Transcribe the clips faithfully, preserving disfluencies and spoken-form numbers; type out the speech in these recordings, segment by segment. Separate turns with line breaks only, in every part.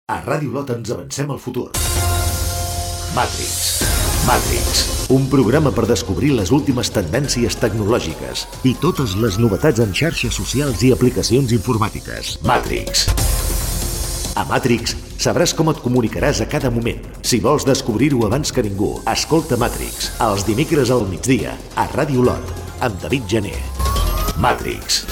A Ràdio Lot ens avancem al futur. Matrix. Matrix. Un programa per descobrir les últimes tendències tecnològiques i totes les novetats en xarxes socials i aplicacions informàtiques. Matrix. A Matrix sabràs com et comunicaràs a cada moment. Si vols descobrir-ho abans que ningú, escolta Matrix, els dimecres al migdia, a Ràdio Lot, amb David Gené. Matrix.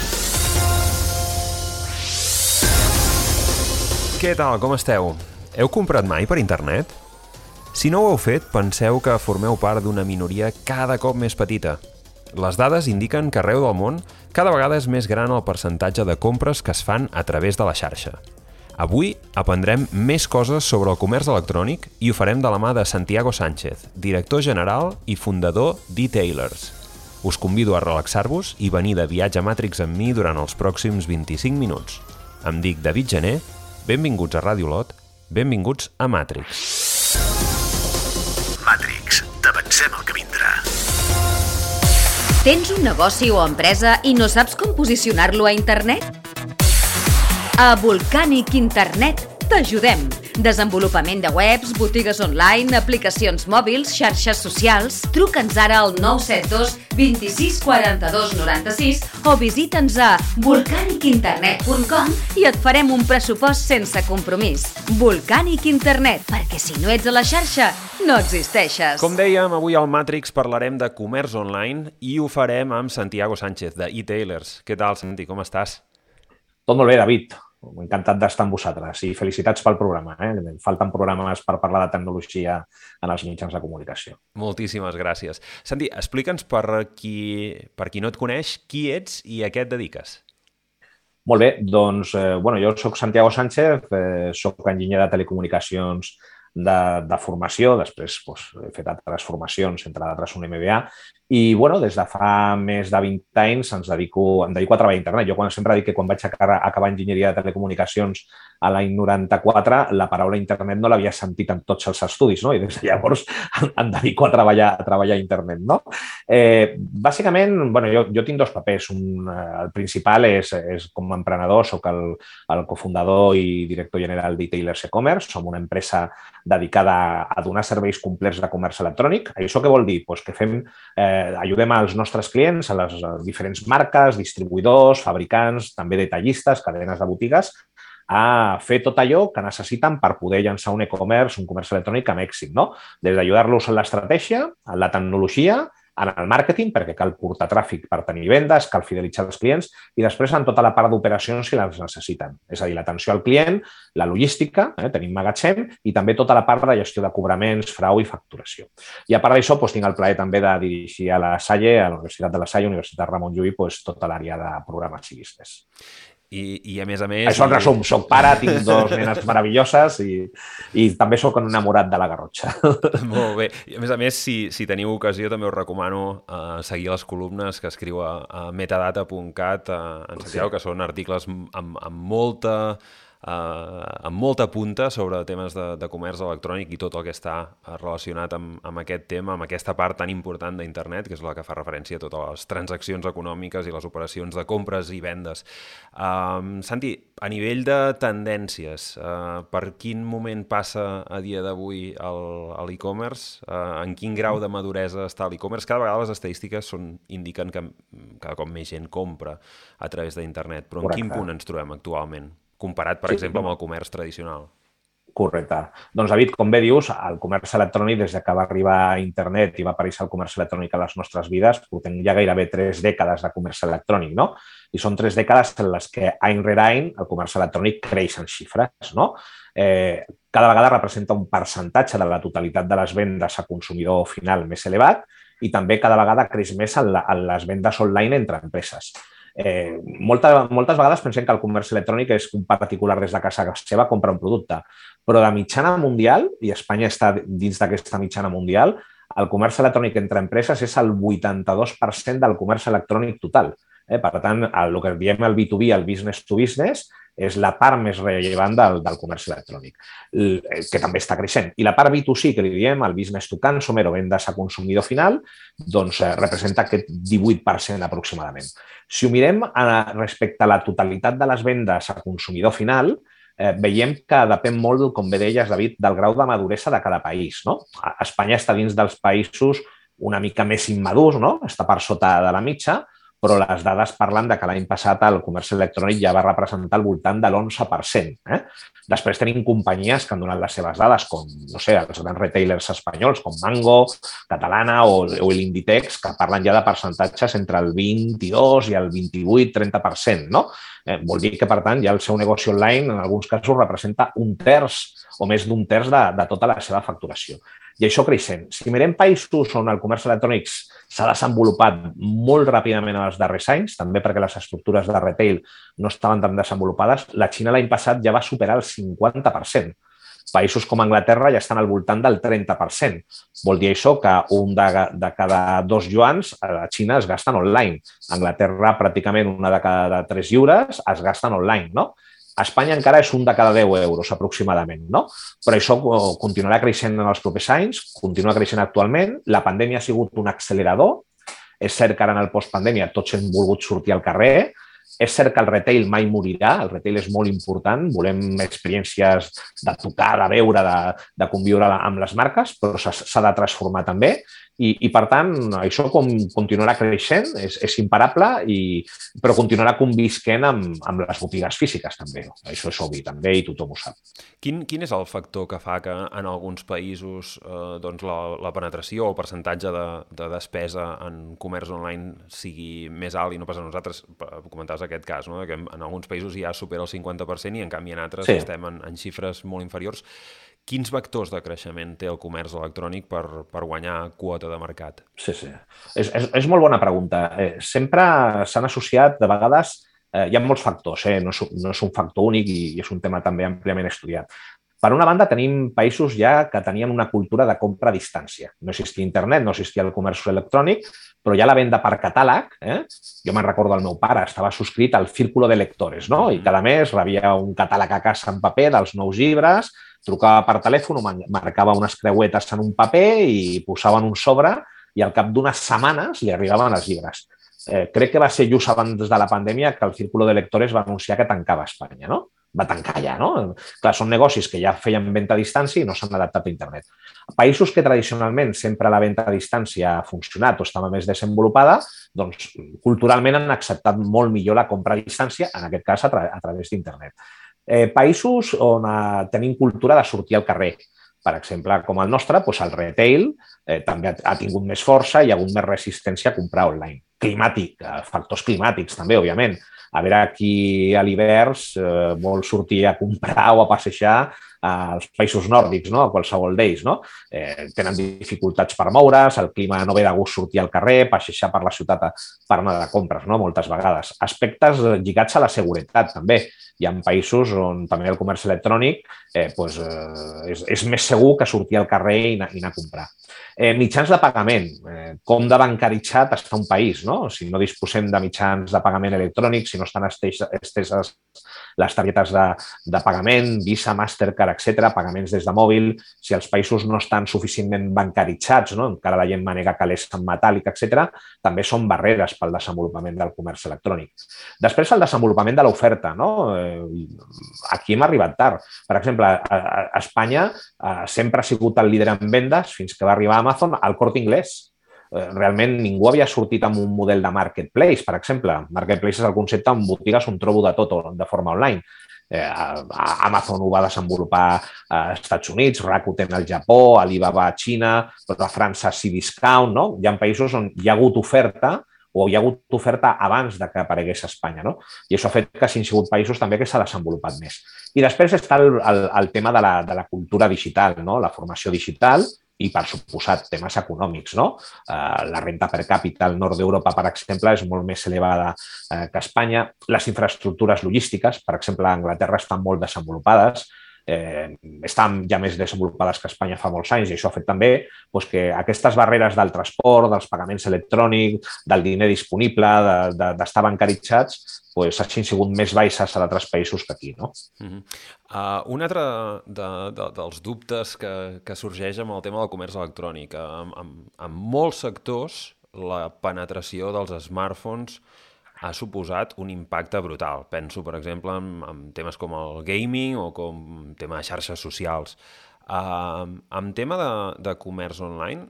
Què tal, com esteu? Heu comprat mai per internet? Si no ho heu fet, penseu que formeu part d'una minoria cada cop més petita. Les dades indiquen que arreu del món cada vegada és més gran el percentatge de compres que es fan a través de la xarxa. Avui aprendrem més coses sobre el comerç electrònic i ho farem de la mà de Santiago Sánchez, director general i fundador d'e-Tailers. Us convido a relaxar-vos i venir de viatge a Matrix amb mi durant els pròxims vint-i-cinc minuts. Em dic David Gené, benvinguts a Ràdio Lot, benvinguts a Matrix.
Matrix, t'avancem el que vindrà.
Tens un negoci o empresa i no saps com posicionar-lo a internet? A Volcanic Internet t'ajudem. Desenvolupament de webs, botigues online, aplicacions mòbils, xarxes socials. Truca'ns ara al nou set dos, vint-i-sis, quaranta-dos, noranta-sis o visita'ns a volcanic internet punt com i et farem un pressupost sense compromís. Volcanic Internet, perquè si no ets a la xarxa, no existeixes.
Com dèiem, avui al Matrix parlarem de comerç online i ho farem amb Santiago Sánchez, de e-Tailers. Què tal, Santi? Com estàs?
Tot molt bé, David. Encantat d'estar amb vosaltres i felicitats pel programa. Eh? Falten programes per parlar de tecnologia en els mitjans de comunicació.
Moltíssimes gràcies. Santi, explica'ns per qui, per qui no et coneix, qui ets i a què et dediques.
Molt bé, doncs eh, bueno, jo soc Santiago Sánchez, eh, soc enginyer de telecomunicacions de, de formació, després doncs, he fet altres formacions, entre d'altres un M B A, i bueno, des de fa més de vint anys ens dedico, em dedico a treballar a internet. Jo quan, sempre dic que quan vaig acabar, acabar enginyeria de telecomunicacions a l'any noranta-quatre, la paraula internet no l'havia sentit en tots els estudis, no? I des de llavors em dedico a treballar a treballar a internet, no? Eh, bàsicament, bueno, jo, jo tinc dos papers. Un, eh, el principal és, és com a emprenedor, soc el, el cofundador i director general d'e-Tailers e-commerce. Som una empresa dedicada a donar serveis complets de comerç electrònic. Això què vol dir? Pues que fem eh, ajudem als nostres clients, a les diferents marques, distribuïdors, fabricants, també detallistes, cadenes de botigues, a fer tot allò que necessiten per poder llançar un e-commerce, un comerç electrònic amb èxit, no? Des d'ajudar-los en l'estratègia, en la tecnologia, en el màrqueting, perquè cal portar tràfic per tenir vendes, cal fidelitzar els clients i després en tota la part d'operacions si les necessiten. És a dir, l'atenció al client, la logística, eh, tenim magatzem i també tota la part de gestió de cobraments, frau i facturació. I a part d'això, doncs, tinc el plaer també de dirigir a la Salle, a la Universitat de la Salle, Universitat Ramon Llull, doncs, tota l'àrea de programes i business.
I, i a més a més...
Això en resum, soc pare, tinc dos nenes meravelloses i, i també soc un enamorat de la Garrotxa.
Molt bé. I a més a més, si, si teniu ocasió, també us recomano uh, seguir les columnes que escriu a, a metadata punt cat uh, en Santiago, sí. Que són articles amb, amb molta... Uh, amb molta punta sobre temes de, de comerç electrònic i tot el que està relacionat amb, amb aquest tema, amb aquesta part tan important d'internet, que és la que fa referència a totes les transaccions econòmiques i les operacions de compres i vendes. Uh, Santi, a nivell de tendències, uh, per quin moment passa a dia d'avui l'e-commerce? Uh, en quin grau de maduresa està l'e-commerce? Cada vegada les estadístiques són, indiquen que cada cop més gent compra a través d'internet, però en Correcte. Quin punt ens trobem actualment? Comparat, per sí, exemple, amb el comerç tradicional.
Correcte. Doncs, David, com bé dius, el comerç electrònic, des que va arribar a internet i va aparèixer el comerç electrònic a les nostres vides, portem ja gairebé tres dècades de comerç electrònic, no? I són tres dècades en les que, any rere any, el comerç electrònic creix en xifres, no? Eh, cada vegada representa un percentatge de la totalitat de les vendes a consumidor final més elevat i també cada vegada creix més en, la, en les vendes online entre empreses. Eh, molta, moltes vegades pensem que el comerç electrònic és un particular des de casa seva compra un producte, però de mitjana mundial, i Espanya està dins d'aquesta mitjana mundial, el comerç electrònic entre empreses és el vuitanta-dos per cent del comerç electrònic total. Eh? Per tant, el, el que diem el B dos B, el business to business, és la part més rellevant del, del comerç electrònic, que també està creixent. I la part B dos C, que li diem, el business to consumer o vendes a consumidor final, doncs eh, representa aquest divuit per cent aproximadament. Si ho mirem a, respecte a la totalitat de les vendes a consumidor final, eh, veiem que depèn molt, com bé deies, David, del grau de maduresa de cada país. No? Espanya està dins dels països una mica més immadurs, no? Està per sota de la mitja, però les dades parlen de que l'any passat el comerç electrònic ja va representar al voltant de l'onze per cent. Eh? Després tenim companyies que han donat les seves dades, com no sé, els grans retailers espanyols, com Mango, Catalana o, o l'Inditex, que parlen ja de percentatges entre el vint-i-dos i el vint-i-vuit trenta per cent. No? Eh, vol dir que, per tant, ja el seu negoci online en alguns casos representa un terç o més d'un terç de, de tota la seva facturació. I això creixent. Si mirem països on el comerç electrònic s'ha desenvolupat molt ràpidament en els darrers anys, també perquè les estructures de retail no estaven tan desenvolupades, la Xina l'any passat ja va superar el cinquanta per cent. Països com Anglaterra ja estan al voltant del trenta per cent. Vol dir això que un de, de cada dos yuans a la Xina es gasten online. A Anglaterra pràcticament una de cada tres lliures es gasten online, no? A Espanya encara és un de cada deu euros aproximadament, no? Però això continuarà creixent en els propers anys, continua creixent actualment. La pandèmia ha sigut un accelerador. És cert que ara en el postpandèmia tots hem volgut sortir al carrer. És cert que el retail mai morirà, el retail és molt important, volem experiències de tocar, de veure, de, de conviure amb les marques, però s'ha de transformar també. I, i per tant, això com continuarà creixent, és, és imparable, i, però continuarà convisquent amb, amb les botigues físiques també. Això és obvi també i tothom ho sap.
Quin, quin és el factor que fa que en alguns països eh, doncs la, la penetració o el percentatge de, de despesa en comerç online sigui més alt i no pas a nosaltres? Comentaves aquest cas, no? Que en alguns països ja supera el cinquanta per cent i en canvi en altres sí. estem en, en xifres molt inferiors. Quins vectors de creixement té el comerç electrònic per, per guanyar quota de mercat?
Sí, sí. És, és, és molt bona pregunta. Eh, sempre s'han associat, de vegades, eh, hi ha molts factors, eh? no, és, no és un factor únic i, i és un tema també àmpliament estudiat. Per una banda, tenim països ja que tenien una cultura de compra a distància. No existia internet, no existia el comerç electrònic, però ja la venda per catàleg, eh? Jo me'n recordo el meu pare, estava subscrit al Círculo de Lectores, no? I cada mes rebia un catàleg a casa en paper dels nous llibres, trucava per telèfon, marcava unes creuetes en un paper i posaven un sobre i al cap d'unes setmanes li arribaven els llibres. Eh, crec que va ser just abans de la pandèmia que el Círculo de Lectores va anunciar que tancava a Espanya, no? Va tancar ja, no? Clar, són negocis que ja feien venda a distància i no s'han adaptat a internet. Països que tradicionalment sempre la venda a distància ha funcionat o estava més desenvolupada, doncs culturalment han acceptat molt millor la compra a distància, en aquest cas a, tra a través d'internet. Eh, països on eh, tenim cultura de sortir al carrer. Per exemple, com el nostre, doncs el retail eh, també ha, ha tingut més força i hi ha hagut més resistència a comprar online. Climàtic, eh, factors climàtics també, òbviament. A veure qui a l'hivern eh, vol sortir a comprar o a passejar als països nòrdics, no? A qualsevol d'ells. No? Eh, tenen dificultats per moure's, el clima no ve de gust sortir al carrer, passejar per la ciutat per anar de compres, no? Moltes vegades. Aspectes lligats a la seguretat, també. Hi ha països on també el comerç electrònic eh, doncs, eh, és, és més segur que sortir al carrer i anar, i anar a comprar. Eh, mitjans de pagament. Eh, com de bancaritzat està un país, no? Si no disposem de mitjans de pagament electrònic, si no estan esteses les targetes de, de pagament, Visa, Mastercard, etcètera, pagaments des de mòbil, si els països no estan suficientment bancaritzats, no? Encara la gent manega calés en metàl·lic, etcètera, també són barreres pel desenvolupament del comerç electrònic. Després, el desenvolupament de l'oferta, no? Aquí hem arribat tard. Per exemple, a, a Espanya eh, sempre ha sigut el líder en vendes fins que va arribar a Amazon al Corte Inglés. Realment ningú havia sortit amb un model de marketplace, per exemple. Marketplace és el concepte en botigues on trobo de tot de forma online. Eh, Amazon ho va desenvolupar als Estats Units, Rakuten al Japó, Alibaba a Xina, però a França Cdiscount, no? Hi ha països on hi ha hagut oferta o hi ha hagut oferta abans de que aparegués a Espanya, no? I això ha fet que hagin sigut països també que s'ha desenvolupat més. I després està el, el, el tema de la, de la cultura digital, no? La formació digital, i, per suposat, temes econòmics, no? Eh, la renta per càpita al nord d'Europa, per exemple, és molt més elevada eh, que a Espanya. Les infraestructures logístiques, per exemple, a Anglaterra estan molt desenvolupades, eh, estan ja més desenvolupades que a Espanya fa molts anys i això ha fet també doncs, que aquestes barreres del transport, dels pagaments electrònics, del diner disponible, d'estar de, de, bancaritzats, doncs, hagin sigut més baixes a d'altres països que aquí. No?
Uh-huh. uh, un altre de, de, dels dubtes que, que sorgeix amb el tema del comerç electrònic. En, en, en molts sectors, la penetració dels smartphones ha suposat un impacte brutal. Penso, per exemple, en, en temes com el gaming o com tema de xarxes socials. Uh, en tema de, de comerç online,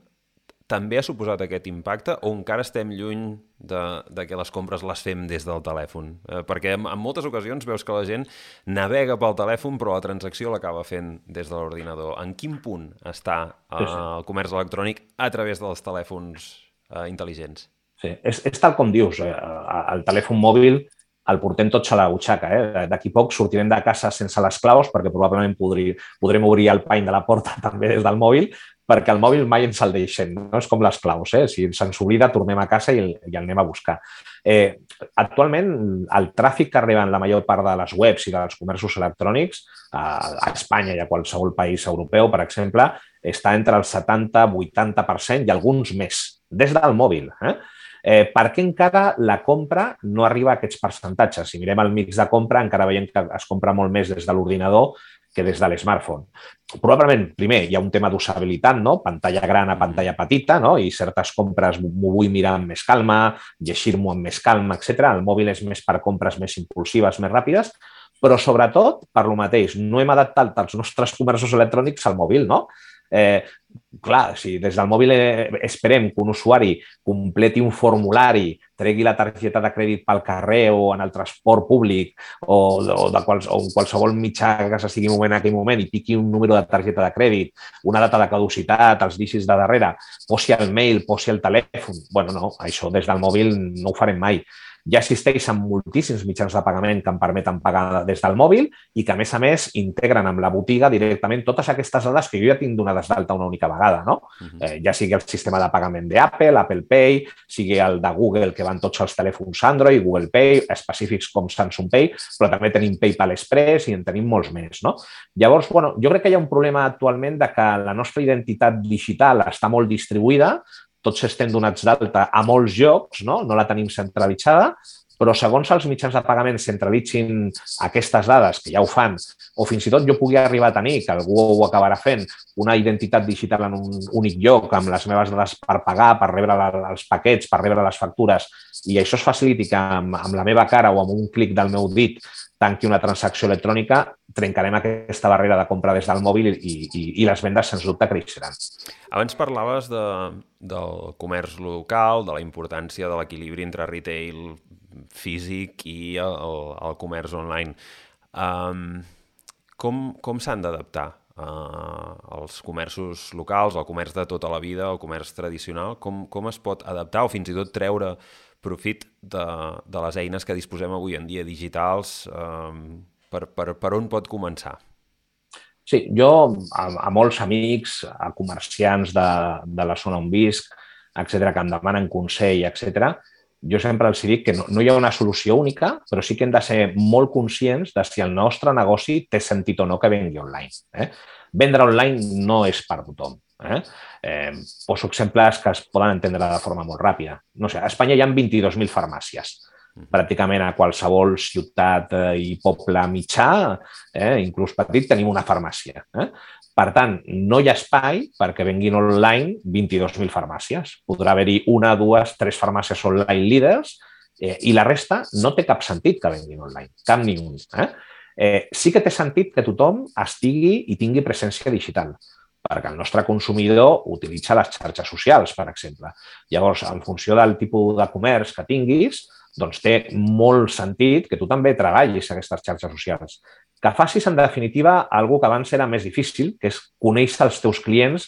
també ha suposat aquest impacte o encara estem lluny de, de que les compres les fem des del telèfon? Eh, perquè en, en moltes ocasions veus que la gent navega pel telèfon però la transacció l'acaba fent des de l'ordinador. En quin punt està eh, sí, sí. el comerç electrònic a través dels telèfons eh, intel·ligents?
Sí, és, és tal com dius. Eh, el telèfon mòbil el portem tots a la butxaca. Eh? D'aquí poc sortirem de casa sense les claus perquè probablement podri, podrem obrir el pany de la porta també des del mòbil, perquè el mòbil mai ens el deixem, no és com les claus, eh? Si se'ns oblida, tornem a casa i el, i el anem a buscar. Eh, actualment, el tràfic que arriba en la major part de les webs i dels comerços electrònics, a, a Espanya i a qualsevol país europeu, per exemple, està entre el setanta vuitanta per cent i alguns més, des del mòbil. Eh? Eh, per què encara la compra no arriba a aquests percentatges? Si mirem el mix de compra, encara veiem que es compra molt més des de l'ordinador que des de l'smartphone. Probablement, primer, hi ha un tema d'usabilitat, no? Pantalla gran a pantalla petita, no? I certes compres m'ho vull mirar amb més calma, llegir-m'ho amb més calma, etcètera. El mòbil és més per compres més impulsives, més ràpides, però sobretot, per lo mateix, no hem adaptat els nostres comerços electrònics al mòbil, no? Eh, clar, si des del mòbil esperem que un usuari completi un formulari, tregui la targeta de crèdit pel carrer o en el transport públic o, o, de quals, o qualsevol mitjà que s'estigui movent en aquell moment i piqui un número de targeta de crèdit, una data de caducitat, els dígits de darrere, posi el mail, posi el telèfon... Bueno, no, això des del mòbil no ho farem mai. Ja existeixen moltíssims mitjans de pagament que em permeten pagar des del mòbil i que, a més a més, integren amb la botiga directament totes aquestes dades que jo ja tinc donades d'alta una única vegada, no? Uh-huh. eh, ja sigui el sistema de pagament d'Apple, Apple Pay, sigui el de Google, que van tots els telèfons Android, Google Pay, específics com Samsung Pay, però també tenim PayPal Express i en tenim molts més, no? Llavors, bueno, jo crec que hi ha un problema actualment de que la nostra identitat digital està molt distribuïda, tots estem donats d'alta a molts llocs, no? No la tenim centralitzada, però segons els mitjans de pagament centralitzin aquestes dades, que ja ho fan, o fins i tot jo pugui arribar a tenir, que algú ho acabarà fent, una identitat digital en un únic lloc, amb les meves dades per pagar, per rebre els paquets, per rebre les factures, i això es faciliti que amb, amb la meva cara o amb un clic del meu dit tanqui una transacció electrònica, trencarem aquesta barrera de compra des del mòbil i, i, i les vendes, sens dubte, creixeran.
Abans parlaves de, del comerç local, de la importància de l'equilibri entre retail físic i el, el comerç online. Um, com com s'han d'adaptar uh, els comerços locals, el comerç de tota la vida, el comerç tradicional? Com, com es pot adaptar o fins i tot treure profit de, de les eines que disposem avui en dia digitals? Um, per, per, per on pot començar?
Sí, jo a, a molts amics, a comerciants de, de la zona on visc, etcètera, que em demanen consell, etcètera, jo sempre els dic que no, no hi ha una solució única, però sí que hem de ser molt conscients de si el nostre negoci té sentit o no que vengui online. Eh? Vendre online no és per tothom. Eh? Eh, poso exemples que es poden entendre de forma molt ràpida. No sé, a Espanya hi ha vint-i-dos mil farmàcies. Pràcticament a qualsevol ciutat i poble mitjà, eh, inclús petit, tenim una farmàcia. Eh? Per tant, no hi ha espai perquè venguin online vint-i-dos mil farmàcies. Podrà haver-hi una, dues, tres farmàcies online líders eh, i la resta no té cap sentit que venguin online, cap ni un. Eh? Eh, sí que té sentit que tothom estigui i tingui presència digital, perquè el nostre consumidor utilitza les xarxes socials, per exemple. Llavors, en funció del tipus de comerç que tinguis, doncs té molt sentit que tu també treballis aquestes xarxes socials. Que facis, en definitiva, alguna que abans era més difícil, que és conèixer els teus clients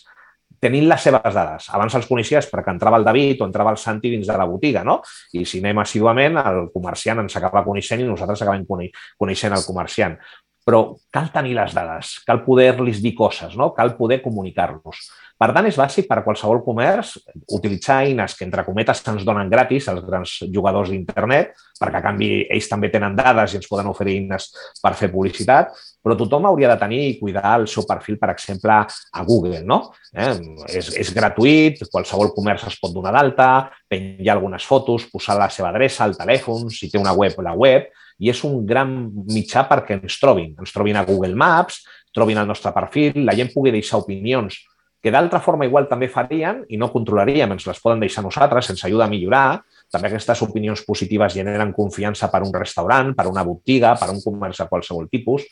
tenint les seves dades. Abans els coneixies perquè entrava el David o entrava el Santi dins de la botiga, no? I si anem assíduament, el comerciant ens acaba coneixent i nosaltres acabem coneixent el comerciant. Però cal tenir les dades, cal poder-los dir coses, no? Cal poder comunicar-los. Per tant, és bàsic per a qualsevol comerç utilitzar eines que, entre cometes, ens donen gratis als grans jugadors d'internet, perquè a canvi ells també tenen dades i ens poden oferir eines per fer publicitat, però tothom hauria de tenir i cuidar el seu perfil, per exemple, a Google, no? Eh? És, és gratuït, qualsevol comerç es pot donar d'alta, penjar algunes fotos, posar la seva adreça, el telèfon, si té una web, la web, i és un gran mitjà perquè ens trobin. Ens trobin a Google Maps, trobin el nostre perfil, la gent pugui deixar opinions que d'altra forma igual també farien i no controlaríem, ens les poden deixar nosaltres, ens ajuda a millorar, també aquestes opinions positives generen confiança per un restaurant, per una botiga, per un comerç de qualsevol tipus.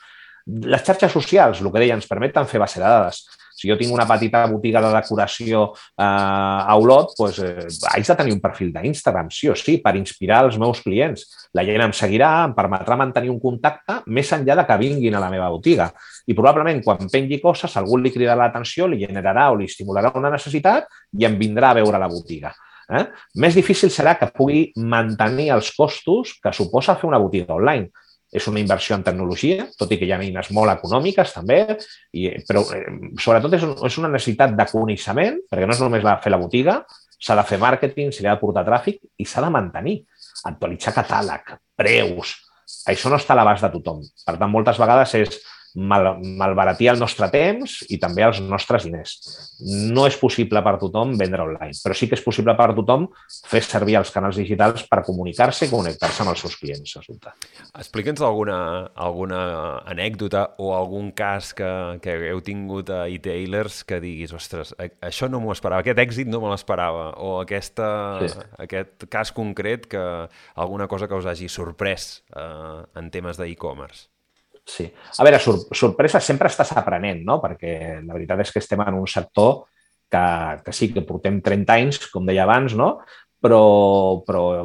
Les xarxes socials, el que deia, ens permeten fer base de dades. Si jo tinc una petita botiga de decoració eh, a Olot, doncs, eh, haig de tenir un perfil d'Instagram, sí o sí, per inspirar els meus clients. La gent em seguirà, em permetrà mantenir un contacte més enllà de que vinguin a la meva botiga. I probablement quan pengui coses, algú li cridarà l'atenció, li generarà o li estimularà una necessitat i em vindrà a veure la botiga. Eh? Més difícil serà que pugui mantenir els costos que suposa fer una botiga online. És una inversió en tecnologia, tot i que hi ha eines molt econòmiques també, i, però eh, sobretot és, un, és una necessitat de coneixement, perquè no és només la, fer la botiga, s'ha de fer màrqueting, s'hi ha de portar tràfic i s'ha de mantenir, actualitzar catàleg, preus. Això no està a l'abast de tothom. Per tant, moltes vegades és mal, malbaratir el nostre temps i també els nostres diners. No és possible per tothom vendre online, però sí que és possible per tothom fer servir els canals digitals per comunicar-se i connectar-se amb els seus clients.
Explica'ns alguna, alguna anècdota o algun cas que, que heu tingut a e-tailers que diguis, ostres, això no m'ho esperava, aquest èxit no me l'esperava, o aquesta, sí. aquest cas concret, que alguna cosa que us hagi sorprès eh, en temes d'e-commerce.
Sí. A veure, sor sorpresa sempre estàs aprenent, no? Perquè la veritat és que estem en un sector que, que sí, que portem trenta anys, com deia abans, no? Però, però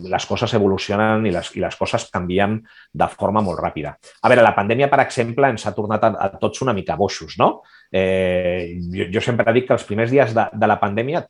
les coses evolucionen i les, i les coses canvien de forma molt ràpida. A veure, la pandèmia, per exemple, ens ha tornat a, a tots una mica boixos, no? Eh, jo, jo sempre dic que els primers dies de, de la pandèmia,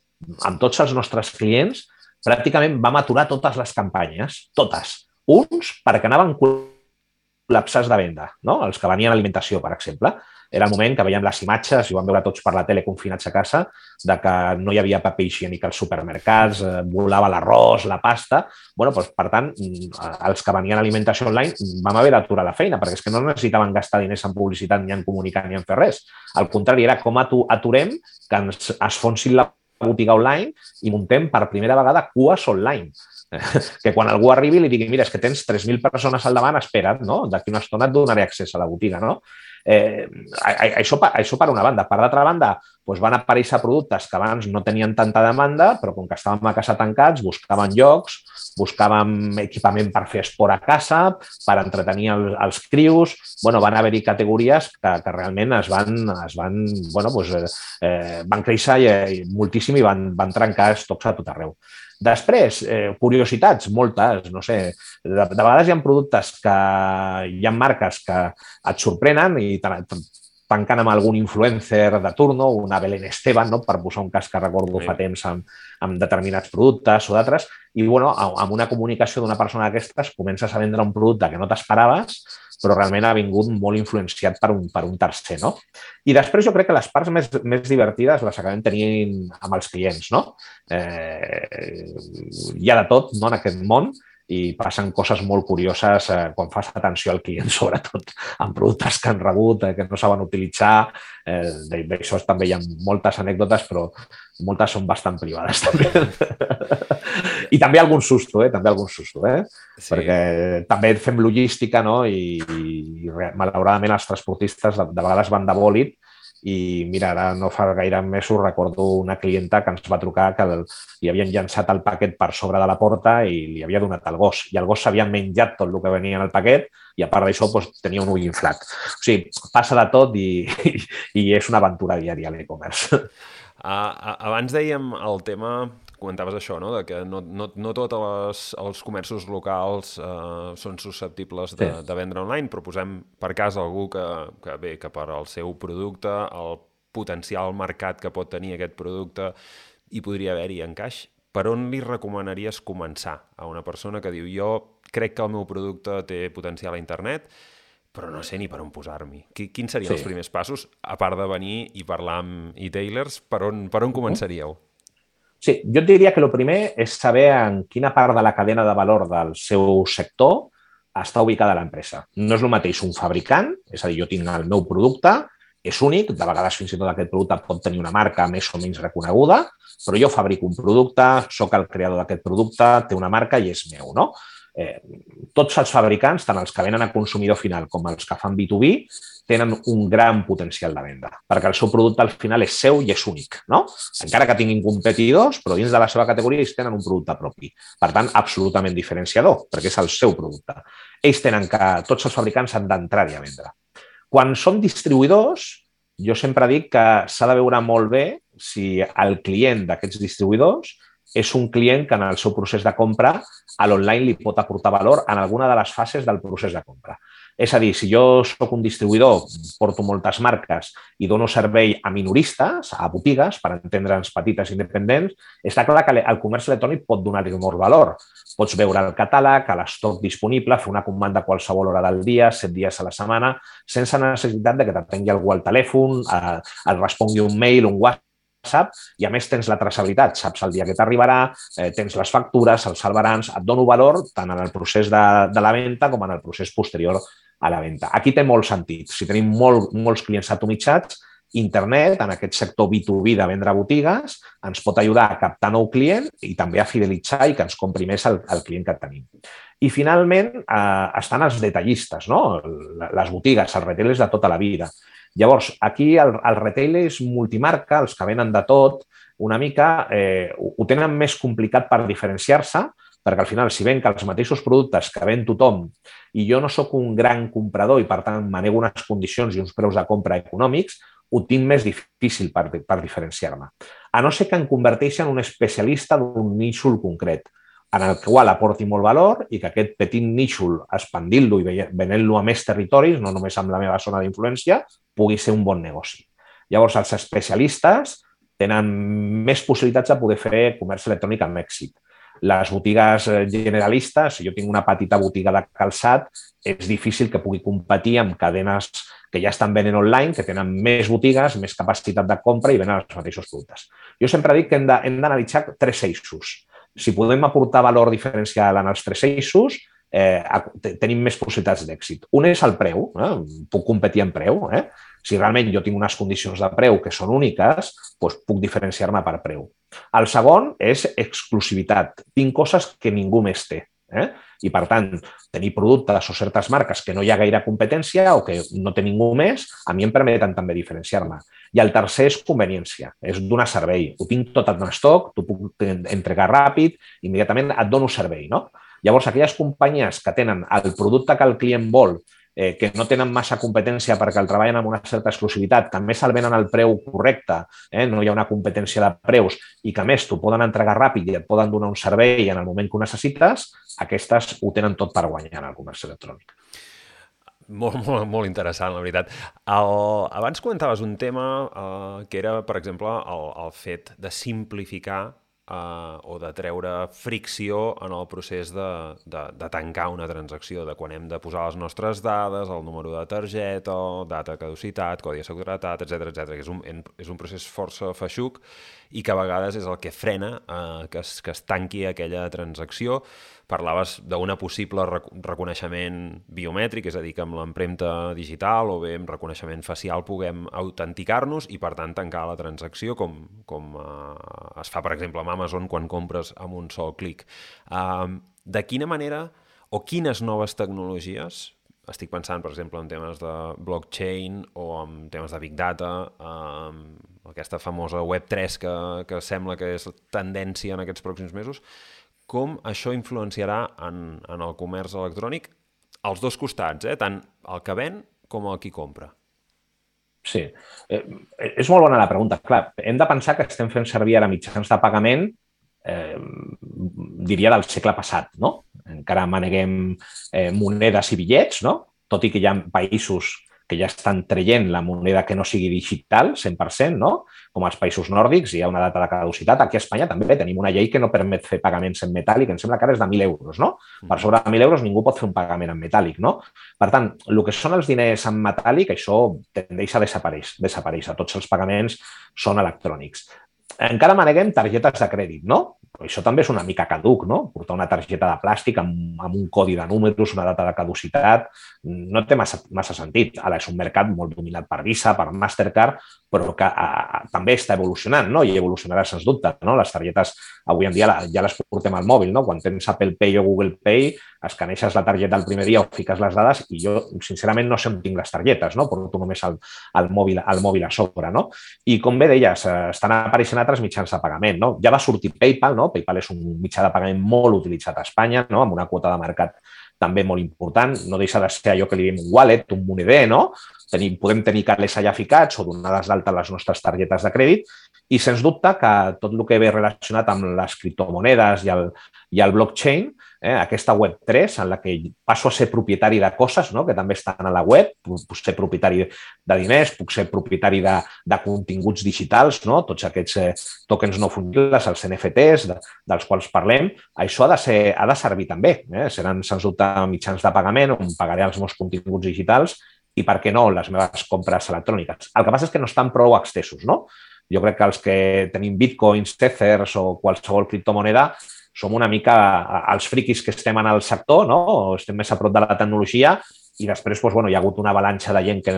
amb tots els nostres clients, pràcticament vam aturar totes les campanyes, totes. Uns perquè anaven col·lapsats de venda, no? Els que venien a alimentació, per exemple. Era el moment que veiem les imatges, i ho vam veure tots per la tele confinats a casa, de que no hi havia paper higiènic als supermercats, eh, volava l'arròs, la pasta. Bueno, doncs, per tant, els que venien a alimentació online vam haver d'aturar la feina, perquè és que no necessitaven gastar diners en publicitat, ni en comunicar, ni en fer res. Al contrari, era com aturem que ens es fonsin la botiga online i muntem per primera vegada cues online. Que quan algú arribi li digui, mira, és que tens tres mil persones al davant, espera't, no? D'aquí una estona et donaré accés a la botiga, no? Eh, això, això per una banda. Per l'altra banda, doncs van aparèixer productes que abans no tenien tanta demanda, però com que estàvem a casa tancats, buscaven llocs, buscàvem equipament per fer esport a casa, per entretenir el, els crius. Bueno, van haver-hi categories que, que realment es van, es van, bueno, doncs, eh, van créixer i, moltíssim i van, van trencar estocs a tot arreu. Després, eh, curiositats, moltes, no sé, de, de vegades hi ha productes que hi ha marques que et sorprenen i tanquen amb algun influencer de turno, una Belén Esteban, no? Per posar un cas que recordo fa temps amb, amb determinats productes o d'altres, i bueno, amb una comunicació d'una persona d'aquestes comences a vendre un producte que no t'esperaves, però realment ha vingut molt influenciat per un, per un tercer, no? I després jo crec que les parts més, més divertides les acabem tenint amb els clients, no? Eh, hi ha de tot, no?, en aquest món, i passen coses molt curioses eh, quan fas atenció al client, sobretot amb productes que han rebut, eh, que no saben utilitzar. Eh, D'això també hi ha moltes anècdotes, però moltes són bastant privades també. I també algun susto, eh? També algun susto, eh? Sí. Perquè també fem logística, no? I, i malauradament els transportistes de, de vegades van de bòlit. I mira, ara no fa gaire mesos recordo una clienta que ens va trucar que el, li havien llançat el paquet per sobre de la porta i li havia donat el gos. I el gos s'havia menjat tot el que venia en el paquet i a part d'això doncs, tenia un ull inflat. O sigui, passa de tot i, i, i és una aventura diària l'e-commerce.
Uh, abans dèiem el tema, comentaves això, no?, de que no, no, no tots els, els comerços locals uh, són susceptibles de, sí. de vendre online, però posem per cas algú que, que, bé, que per al seu producte, el potencial mercat que pot tenir aquest producte, hi podria haver-hi encaix. Per on li recomanaries començar a una persona que diu jo crec que el meu producte té potencial a internet, però no sé ni per on posar-m'hi? Quins serien sí. els primers passos, a part de venir i parlar amb e-tailers, per on, per on començaríeu?
Sí, jo et diria que el primer és saber en quina part de la cadena de valor del seu sector està ubicada l'empresa. No és el mateix un fabricant, és a dir, jo tinc el meu producte, és únic, de vegades fins i tot aquest producte pot tenir una marca més o menys reconeguda, però jo fabrico un producte, sóc el creador d'aquest producte, té una marca i és meu, no? Eh, tots els fabricants, tant els que venen a consumidor final com els que fan B dos B, tenen un gran potencial de venda, perquè el seu producte al final és seu i és únic, no? Encara que tinguin competidors, però dins de la seva categoria ells tenen un producte propi. Per tant, absolutament diferenciador, perquè és el seu producte. Ells tenen que, tots els fabricants han d'entrar-hi a vendre. Quan són distribuïdors, jo sempre dic que s'ha de veure molt bé si el client d'aquests distribuïdors és un client que en el seu procés de compra a l'online li pot aportar valor en alguna de les fases del procés de compra. És a dir, si jo soc un distribuïdor, porto moltes marques i dono servei a minoristes, a botigues, per entendre'ns petites i independents, està clar que el comerç electrònic pot donar-hi molt valor. Pots veure el catàleg, l'estoc disponible, fer una comanda a qualsevol hora del dia, set dies a la setmana, sense necessitat de que t'atengui algú al telèfon, et respongui un mail, un WhatsApp, i a més tens la traçabilitat, saps el dia que t'arribarà, eh, tens les factures, els salvarans, et dono valor tant en el procés de, de la venda com en el procés posterior a la venda. Aquí té molt sentit. Si tenim molt, molts clients atomitzats, internet, en aquest sector B dos B de vendre a botigues, ens pot ajudar a captar nou client i també a fidelitzar i que ens compri més el, el client que tenim. I finalment eh, estan els detallistes, no? Les botigues, els retailers de tota la vida. Llavors, aquí el, el retail és multimarca, els que venen de tot, una mica eh, ho tenen més complicat per diferenciar-se, perquè al final, si ven que els mateixos productes que ven tothom i jo no sóc un gran comprador i, per tant, manego unes condicions i uns preus de compra econòmics, ho tinc més difícil per, per diferenciar-me. A no ser que em converteixi en un especialista d'un nínxol concret, en el qual aporti molt valor i que aquest petit nínxol, expandint-lo i venent-lo a més territoris, no només amb la meva zona d'influència, pugui ser un bon negoci. Llavors, els especialistes tenen més possibilitats de poder fer comerç electrònic amb èxit. Les botigues generalistes, si jo tinc una petita botiga de calçat, és difícil que pugui competir amb cadenes que ja estan venent online, que tenen més botigues, més capacitat de compra i venen els mateixos productes. Jo sempre dic que hem d'analitzar tres eixos. Si podem aportar valor diferencial en els tres eixos, eh, tenim més possibilitats d'èxit. Un és el preu, eh? Puc competir en preu. Eh? Si realment jo tinc unes condicions de preu que són úniques, doncs puc diferenciar-me per preu. El segon és exclusivitat. Tinc coses que ningú més té. Eh? I, per tant, tenir productes o certes marques que no hi ha gaire competència o que no té ningú més, a mi em permeten també diferenciar-me. I el tercer és conveniència, és donar servei. Ho tinc tot en estoc, t'ho puc entregar ràpid, immediatament et dono servei. No? Llavors, aquelles companyies que tenen el producte que el client vol, eh, que no tenen massa competència perquè el treballen amb una certa exclusivitat, que a més el venen al preu correcte, eh, no hi ha una competència de preus i que a més t'ho poden entregar ràpid i et poden donar un servei en el moment que ho necessites, aquestes ho tenen tot per guanyar en el comerç electrònic.
Molt, molt, molt interessant, la veritat. El, abans comentaves un tema eh, que era, per exemple, el, el fet de simplificar Uh, o de treure fricció en el procés de, de, de tancar una transacció, de quan hem de posar les nostres dades, el número de targeta, data de caducitat, codi de seguretat, etcètera, etcètera, que és un, és un procés força feixuc i que a vegades és el que frena uh, que, es, que es tanqui aquella transacció. Parlaves d'una possible rec reconeixement biomètric, és a dir, que amb l'empremta digital o bé amb reconeixement facial puguem autenticar-nos i, per tant, tancar la transacció, com, com uh, es fa, per exemple, amb Amazon quan compres amb un sol clic. Uh, de quina manera o quines noves tecnologies, estic pensant, per exemple, en temes de blockchain o en temes de big data, uh, aquesta famosa web tres que, que sembla que és tendència en aquests pròxims mesos, com això influenciarà en, en el comerç electrònic als dos costats, eh? Tant el que ven com el qui compra.
Sí, eh, és molt bona la pregunta. Clar, hem de pensar que estem fent servir ara mitjans de pagament, eh, diria, del segle passat, no? Encara maneguem eh, monedes i bitllets, no? Tot i que hi ha països que ja estan traient la moneda que no sigui digital, cent per cent, no? Com als països nòrdics, hi ha una data de caducitat. Aquí a Espanya també tenim una llei que no permet fer pagaments en metàl·lic, em sembla que ara és de mil euros, no? Per sobre de mil euros ningú pot fer un pagament en metàl·lic, no? Per tant, el que són els diners en metàl·lic, això tendeix a desaparèixer, desaparèixer. Tots els pagaments són electrònics. Encara maneguem targetes de crèdit, no? Això també és una mica caduc, no? Portar una targeta de plàstic amb, amb un codi de números, una data de caducitat, no té massa, massa sentit. Ara és un mercat molt dominat per Visa, per Mastercard, però que a, a, també està evolucionant, no? I evolucionarà sens dubte, no? Les targetes avui en dia la, ja les portem al mòbil, no? Quan tens Apple Pay o Google Pay, escaneixes la targeta el primer dia o fiques les dades i jo, sincerament, no sé on tinc les targetes, no? Porto només el, el, mòbil, el mòbil a sobre, no? I com bé deies, estan apareixent altres mitjans de pagament, no? Ja va sortir PayPal, no? PayPal és un mitjà de pagament molt utilitzat a Espanya, no? Amb una quota de mercat també molt important, no deixa de ser allò que li diem un wallet, un moneder, no? Tenim, podem tenir calés allà ficats o donades d'alta les nostres targetes de crèdit i, sens dubte, que tot el que ve relacionat amb les criptomonedes i el, i el blockchain, eh, aquesta web tres, en la que passo a ser propietari de coses, no? Que també estan a la web, puc ser propietari de diners, puc ser propietari de, de continguts digitals, no? Tots aquests eh, tokens no fungibles, els N F Ts, de, dels quals parlem, això ha de, ser, ha de servir també. Eh? Seran, sens dubte, mitjans de pagament on pagaré els meus continguts digitals i, per què no, les meves compres electròniques. El que passa és que no estan prou extensos, no? Jo crec que els que tenim bitcoins, ethers o qualsevol criptomoneda som una mica els friquis que estem en el sector, no? O estem més a prop de la tecnologia i després doncs, bueno, hi ha hagut una avalanxa de gent que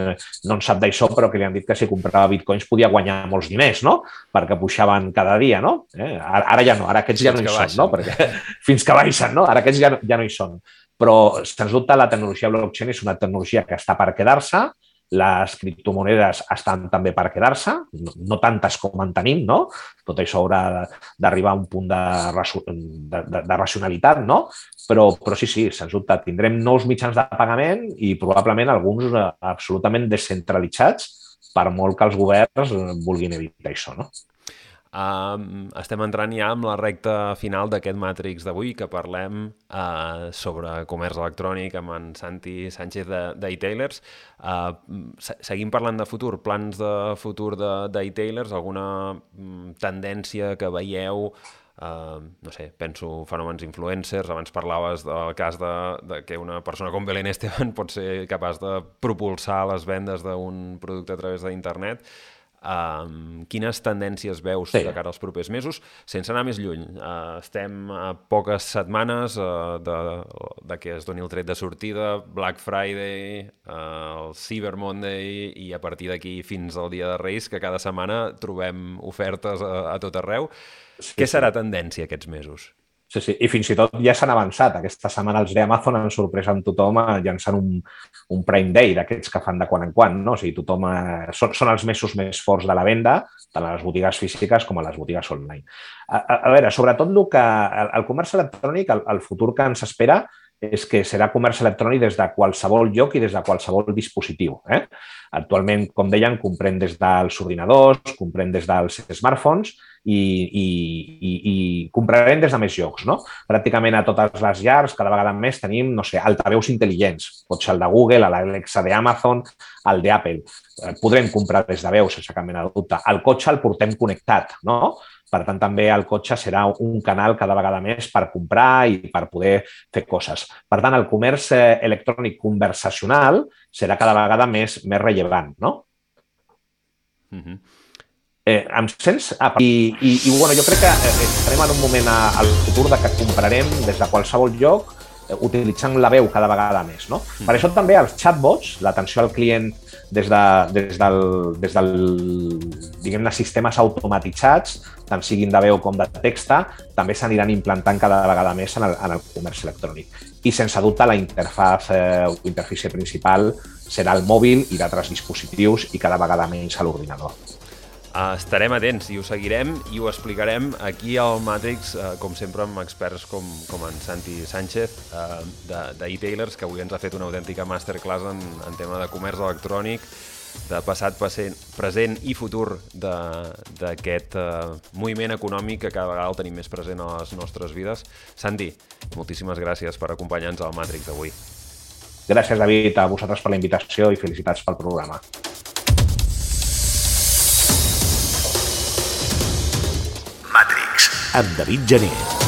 no en sap d'això però que li han dit que si comprava bitcoins podia guanyar molts diners, no? Perquè pujaven cada dia, no? Eh? Ara, ara ja no, ara aquests ja no hi són, no? Perquè, fins que baixen, no? Ara aquests ja, ja no hi són. Però, sens dubte, la tecnologia blockchain és una tecnologia que està per quedar-se, les criptomonedes estan també per quedar-se, no, no tantes com en tenim, no? Tot això haurà d'arribar a un punt de, de, de, de racionalitat, no? Però, però sí, sí, sens dubte, tindrem nous mitjans de pagament i probablement alguns absolutament descentralitzats per molt que els governs vulguin evitar això, no?
Uh, estem entrant ja amb la recta final d'aquest Matrix d'avui, que parlem uh, sobre comerç electrònic amb en Santi Sánchez d'e-Tailers. Uh, seguim parlant de futur, plans de futur d'e-Tailers, alguna um, tendència que veieu, uh, no sé, penso fenòmens influencers, abans parlaves del cas de, de que una persona com Belén Esteban pot ser capaç de propulsar les vendes d'un producte a través d'internet. Um, quines tendències veus sí. de cara als propers mesos? Sense anar més lluny, uh, estem a poques setmanes uh, de, de que es doni el tret de sortida, Black Friday, uh, el Cyber Monday i a partir d'aquí fins al Dia de Reis, que cada setmana trobem ofertes a, a tot arreu. Sí, Què serà sí. tendència aquests mesos?
Sí, sí, i fins i tot ja s'han avançat. Aquesta setmana els d'Amazon han sorprès amb tothom llançant un, un Prime Day d'aquests que fan de quan en quan, no? O sigui, tothom... Eh, són, són els mesos més forts de la venda, tant a les botigues físiques com a les botigues online. A, a, a veure, sobretot el, que, el, el comerç electrònic, el, el futur que ens espera és que serà comerç electrònic des de qualsevol lloc i des de qualsevol dispositiu. Eh? Actualment, com deien, comprem des dels ordinadors, comprem des dels smartphones i, i, i, i comprarem des de més llocs. No? Pràcticament a totes les llars, cada vegada més tenim, no sé, altaveus intel·ligents. Pot ser el de Google, l'Alexa d'Amazon, el d'Apple. Podrem comprar des de veus, sense cap mena de dubte. El cotxe el portem connectat, no? Per tant, també el cotxe serà un canal cada vegada més per comprar i per poder fer coses. Per tant, el comerç electrònic conversacional serà cada vegada més, més rellevant, no? Uh-huh. eh, em sents? Ah, I, i, i bueno, jo crec que estarem en un moment al futur de que comprarem des de qualsevol lloc utilitzant la veu cada vegada més, no? Uh-huh. Per això també els chatbots, l'atenció al client des, de, des del, des del diguem-ne, sistemes automatitzats, tant siguin de veu com de texta, també s'aniran implantant cada vegada més en el, en el comerç electrònic. I sense dubte la interfaz eh, o interfície principal serà el mòbil i d'altres dispositius i cada vegada menys a l'ordinador.
Uh, estarem atents i ho seguirem i ho explicarem aquí al Matrix, uh, com sempre amb experts com, com en Santi Sánchez uh, d'e-Tailers, que avui ens ha fet una autèntica masterclass en, en tema de comerç electrònic, de passat, present i futur d'aquest uh, moviment econòmic que cada vegada el tenim més present a les nostres vides. Santi, moltíssimes gràcies per acompanyar-nos al Matrix d'avui.
Gràcies, David, a vosaltres per la invitació i felicitats pel programa.
Matrix, amb David Gené.